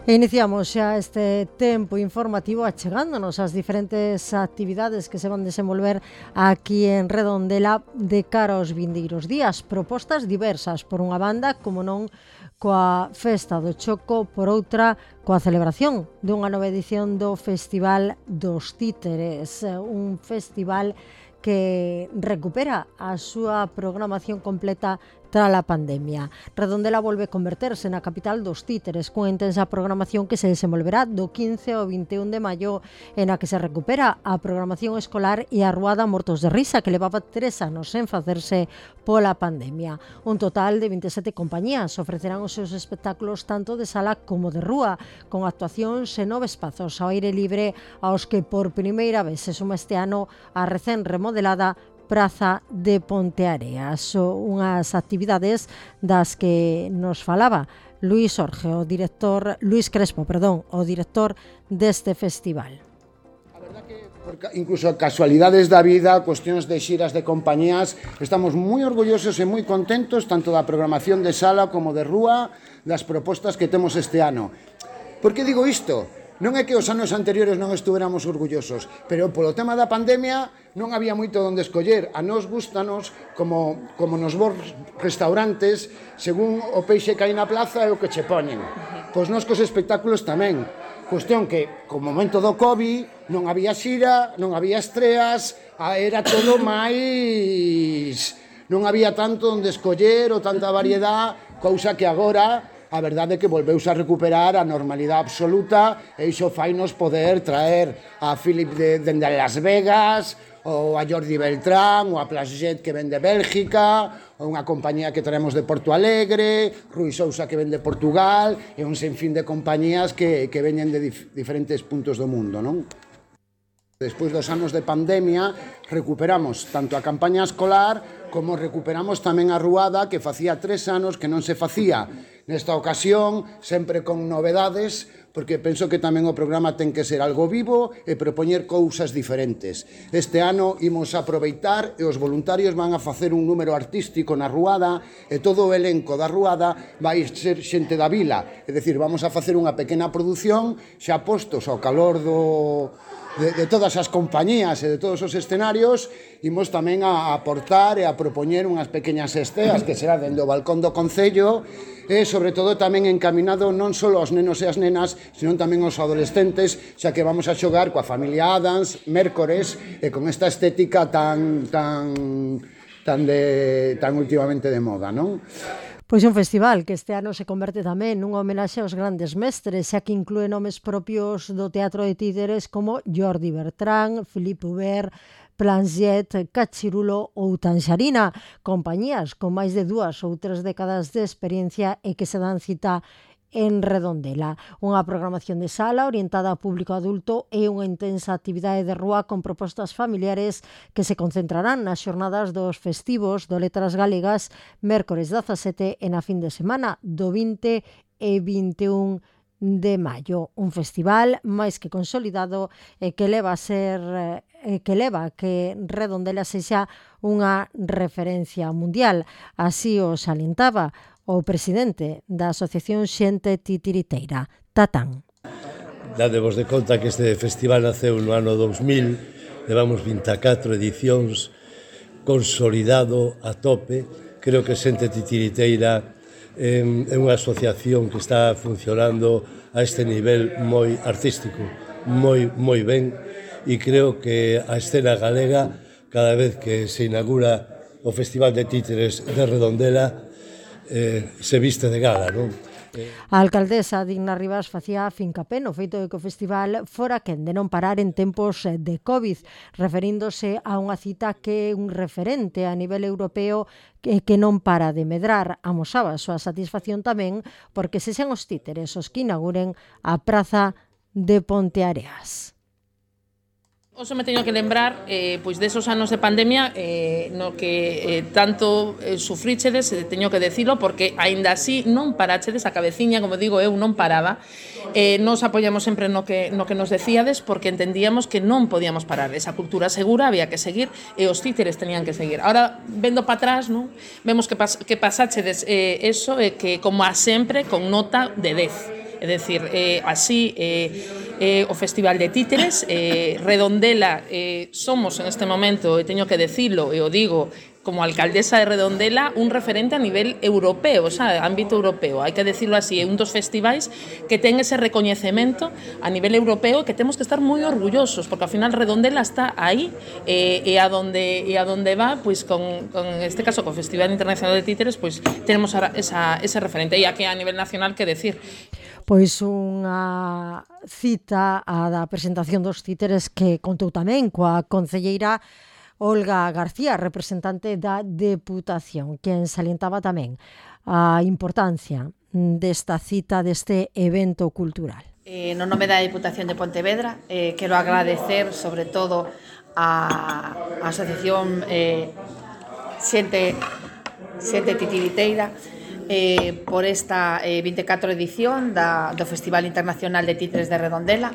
Iniciamos xa este tempo informativo achegándonos ás diferentes actividades que se van desenvolver aquí en Redondela de cara aos vindeiros días. Propostas diversas, por unha banda, como non, coa Festa do Choco, por outra, coa celebración dunha nova edición do Festival dos Títeres, un festival que recupera a súa programación completa tras a pandemia. Redondela volve a converterse na capital dos títeres, cunha intensa programación que se desenvolverá do 15 ao 21 de maio, en a que se recupera a programación escolar e a ruada Mortos de Risa, que levaba 3 anos sen facerse pola pandemia. Un total de 27 compañías ofrecerán os seus espectáculos tanto de sala como de rúa, con actuacións en 9 espazos ao aire libre, aos que por primeira vez se suma este ano a recén remodelada Praza de Ponteareas. Unhas actividades das que nos falaba Luís Crespo, o director deste festival. A verdad que, incluso casualidades da vida, cuestións de xiras de compañías, estamos moi orgullosos e moi contentos tanto da programación de sala como de rúa, das propostas que temos este ano. Por que digo isto? Non é que os anos anteriores non estuveramos orgullosos, pero polo tema da pandemia non había moito onde escoller. A nos gustanos, como nos bons restaurantes, según o peixe que hai na plaza é o que che poñen. Pois nos cos espectáculos tamén. Cuestión que, co momento do COVID, non había xira, non había estreas, era todo máis... Non había tanto onde escoller ou tanta variedade, cousa que agora... A verdade é que volveuse a recuperar a normalidade absoluta e iso fainos poder traer a Philip dende Las Vegas, ou a Jordi Beltrán, ou a Plasjet que ven de Bélgica, ou unha compañía que traemos de Porto Alegre, Rui Sousa que ven de Portugal, e un sinfín de compañías que veñen de diferentes puntos do mundo, non? Despois dos anos de pandemia, recuperamos tanto a campaña escolar como recuperamos tamén a ruada que facía 3 anos que non se facía. Nesta ocasión, sempre con novedades, porque penso que tamén o programa ten que ser algo vivo e propoñer cousas diferentes. Este ano imos aproveitar e os voluntarios van a facer un número artístico na ruada e todo o elenco da ruada vai ser xente da vila. É dicir, vamos a facer unha pequena produción xa postos ao calor de todas as compañías e de todos os escenarios, imos tamén a aportar e a propoñer unhas pequeñas esteas que será dende o balcón do Concello e, sobre todo, tamén encaminado non só aos nenos e as nenas, senón tamén aos adolescentes, xa que vamos a xogar coa familia Adams, Mércores, e con esta estética tan últimamente de moda, non? Pois un festival que este ano se converte tamén nunha homenaxe aos grandes mestres, xa que inclúe nomes propios do teatro de títeres como Jordi Bertrán, Philippe Hubert, Plasjet, Cachirulo ou Tanxarina, compañías con máis de 2 ou 3 décadas de experiencia e que se dan cita en Redondela. Unha programación de sala orientada ao público adulto e unha intensa actividade de rúa con propostas familiares que se concentrarán nas xornadas dos festivos do Letras Galegas mércores 17 e na fin de semana do 20 e 21 de maio. Un festival máis que consolidado e que leva a que Redondela sexa unha referencia mundial. Así o salientaba o presidente da Asociación Xente Titiriteira, Tatán. Dadevos de conta que este festival naceu no ano 2000, levamos 24 edicións, consolidado a tope. Creo que Xente Titiriteira é unha asociación que está funcionando a este nivel moi artístico, moi ben, e creo que a escena galega, cada vez que se inaugura o Festival de Títeres de Redondela, se viste de gala, non? A alcaldesa Digna Rivas facía fincapé no feito de que o festival fora quen de non parar en tempos de COVID, referíndose a unha cita que é un referente a nivel europeo que non para de medrar. Amosaba a súa satisfacción tamén porque se sean os títeres os que inauguren a Praza de Ponteareas. Oso me teño que lembrar pois desos anos de pandemia no que tanto sufríchedes, teño que decilo, porque aínda así non parachedes a cabeciña, como digo eu, non paraba. Nos apoiamos sempre no que nos decíades, porque entendíamos que non podíamos parar. Esa cultura segura había que seguir e os títeres tenían que seguir. Ahora, vendo para atrás, non, vemos que pasachedes eso, que como a sempre con nota de 10. É decir, así o Festival de Títeres, Redondela, somos en este momento, e teño que decirlo, e o digo, como alcaldesa de Redondela, un referente a nivel europeo, ámbito europeo, hai que decirlo así, é un dos festivais que ten ese recoñecemento a nivel europeo que temos que estar moi orgullosos, porque ao final Redondela está aí, e a donde va, pois con este caso, co Festival Internacional de Títeres, pois tenemos ese referente, e aquí a nivel nacional, que decir. Pois unha cita a da presentación dos títeres que contou tamén coa concelleira Olga García, representante da Deputación, quen salientaba tamén a importancia desta cita, deste evento cultural. No nome da Deputación de Pontevedra, quero agradecer sobre todo a Asociación Xente Titiriteira por esta 24 edición do Festival Internacional de Títeres de Redondela,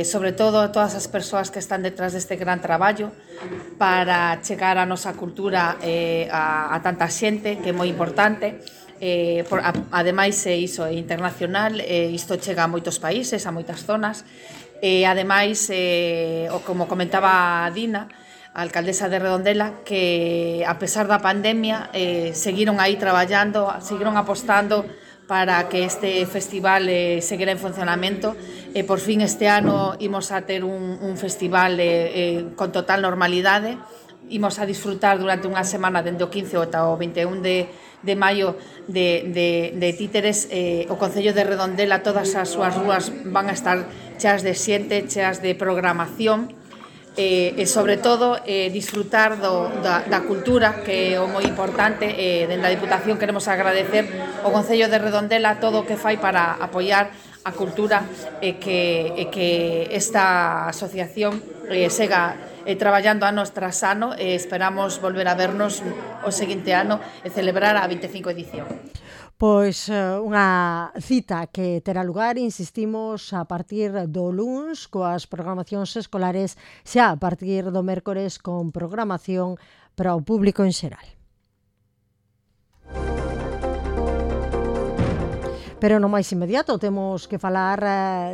sobre todo a todas as persoas que están detrás deste gran traballo para chegar a nosa cultura a tanta xente, que é moi importante. Ademais, iso é internacional, isto chega a moitos países, a moitas zonas, e ademais, como comentaba a Dina, a alcaldesa de Redondela, que a pesar da pandemia seguiron aí traballando, seguiron apostando para que este festival seguira en funcionamento, e por fin este ano imos a ter un festival con total normalidade. Imos a disfrutar durante unha semana dende o 15 ata o 21 de maio de títeres. O Concello de Redondela, todas as súas rúas van a estar cheas de xente, cheas de programación, e sobre todo disfrutar da cultura, que é o moi importante. Dende a Diputación queremos agradecer ao Concello de Redondela todo o que fai para apoiar a cultura, e que esta asociación sega traballando ano tras ano, e esperamos volver a vernos o seguinte ano e celebrar a 25 edición. Pois unha cita que terá lugar, insistimos, a partir do luns coas programacións escolares, xa a partir do mércores con programación para o público en xeral. Pero no máis inmediato temos que falar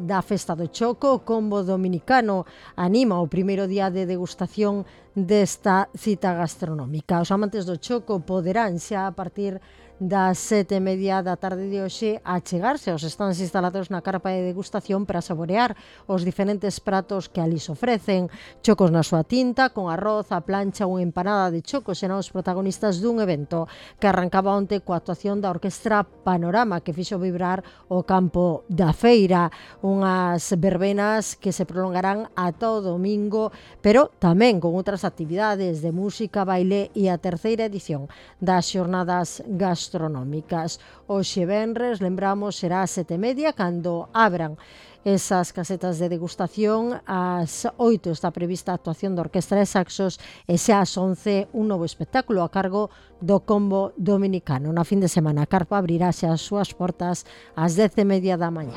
da Festa do Choco. O Combo Dominicano anima o primeiro día de degustación desta cita gastronómica. Os amantes do choco poderán xa a partir das 7:30 da tarde de hoxe a chegarse aos stands instalados na carpa de degustación para saborear os diferentes pratos que ali se ofrecen. Chocos na súa tinta, con arroz, a plancha ou empanada de choco serán os protagonistas dun evento que arrancaba onte coa actuación da Orquestra Panorama, que fixo vibrar o campo da feira. Unhas verbenas que se prolongarán ata o domingo, pero tamén con outras actividades de música, baile e a terceira edición das xornadas gastronómicas. Hoxe venres, lembramos, será ás 7:30 cando abran esas casetas de degustación. Ás 8 está prevista a actuación da Orquestra de Saxos, e xa ás 11 un novo espectáculo a cargo do Combo Dominicano. Na fin de semana a carpa abrirase as súas portas ás 10:30 da mañá.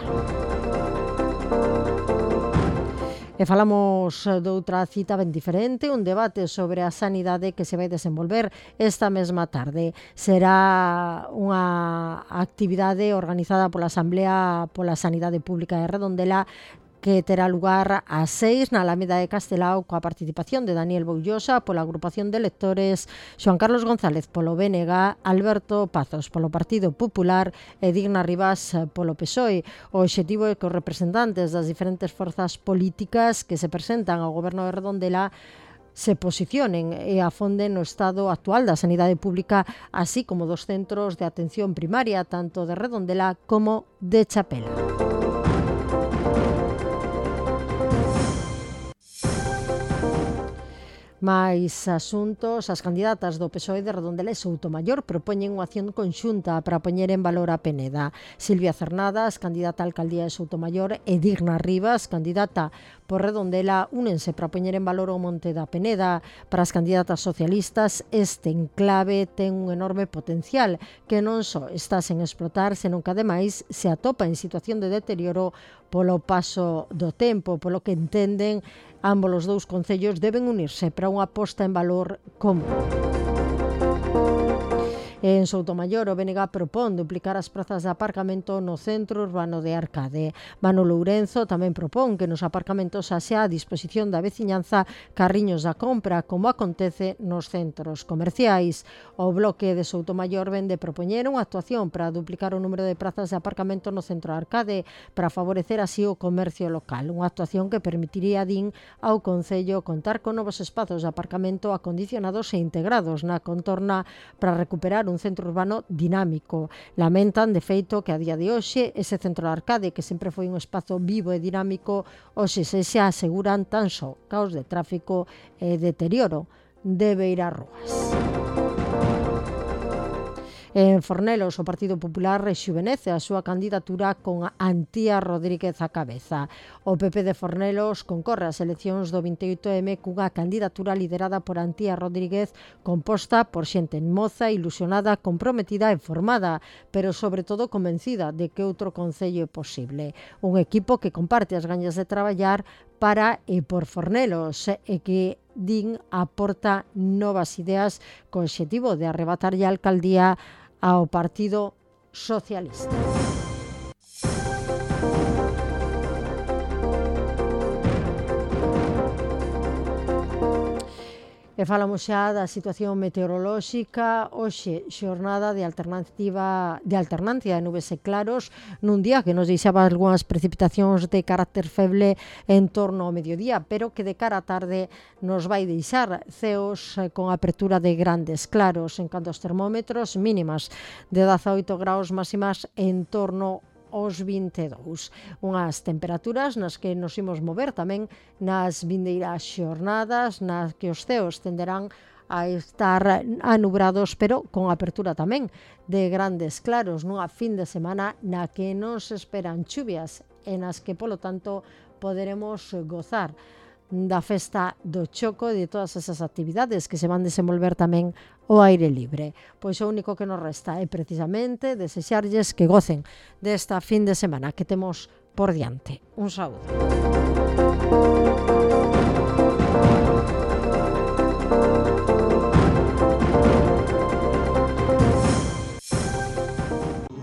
E falamos doutra cita ben diferente, un debate sobre a sanidade que se vai desenvolver esta mesma tarde. Será unha actividade organizada pola Asamblea pola Sanidade Pública de Redondela, que terá lugar ás 6 na Alameda de Castelao, coa participación de Daniel Boullosa pola agrupación de lectores, Xoan Carlos González polo BNG, Alberto Pazos polo Partido Popular e Digna Rivas polo PSOE. O obxectivo é que os representantes das diferentes forzas políticas que se presentan ao goberno de Redondela se posicionen e afonden no estado actual da sanidade pública, así como dos centros de atención primaria, tanto de Redondela como de Chapela. Mais asuntos, as candidatas do PSOE de Redondela e Soutomaior propoñen unha acción conxunta para poñer en valor a Peneda. Silvia Cernadas, candidata á alcaldía de Soutomaior, e Digna Rivas, candidata por Redondela, únense para poñer en valor o monte da Peneda. Para as candidatas socialistas, este enclave ten un enorme potencial que non só está sen explotar, senón que ademais se atopa en situación de deterioro polo paso do tempo, polo que entenden ambos os dous concellos deben unirse para unha posta en valor común. En Soutomaior, o BNG propón duplicar as prazas de aparcamento no centro urbano de Arcade. Mano Lourenzo tamén propón que nos aparcamentos haxa a disposición da veciñanza carriños da compra, como acontece nos centros comerciais. O bloque de Soutomaior ven de propoñer unha actuación para duplicar o número de prazas de aparcamento no centro de Arcade para favorecer así o comercio local. Unha actuación que permitiría, din, ao Concello contar con novos espazos de aparcamento acondicionados e integrados na contorna para recuperar un centro urbano dinámico. Lamentan, de feito, que a día de hoxe ese centro de Arcade, que sempre foi un espazo vivo e dinámico, hoxe se aseguran tan só caos de tráfico e deterioro de beirarrúas. En Fornelos, o Partido Popular rexuvenece a súa candidatura con Antía Rodríguez á cabeza. O PP de Fornelos concorre ás eleccións do 28M cunha candidatura liderada por Antía Rodríguez, composta por xente moza, ilusionada, comprometida e formada, pero sobre todo convencida de que outro concello é posible. Un equipo que comparte as gañas de traballar para e por Fornelos e que, din, aporta novas ideas co obxectivo de arrebatarlle a alcaldía ao Partido Socialista. E falamos xa da situación meteorolóxica. Hoxe, xornada de alternancia de nubes e claros, nun día que nos deixaba algunhas precipitacións de carácter feble en torno ao mediodía, pero que de cara á tarde nos vai deixar ceos con apertura de grandes claros. En canto aos termómetros, mínimas de 18 graus, máximas en torno aos 22. Unhas temperaturas nas que nos imos mover tamén nas vindeiras xornadas, nas que os ceos tenderán a estar anubrados, pero con apertura tamén de grandes claros, nunha fin de semana na que non se esperan chuvias e nas que, polo tanto, poderemos gozar da festa do choco e de todas esas actividades que se van desenvolver tamén ao aire libre. Pois o único que nos resta é precisamente desexarlles que gocen desta fin de semana que temos por diante. Un saúdo.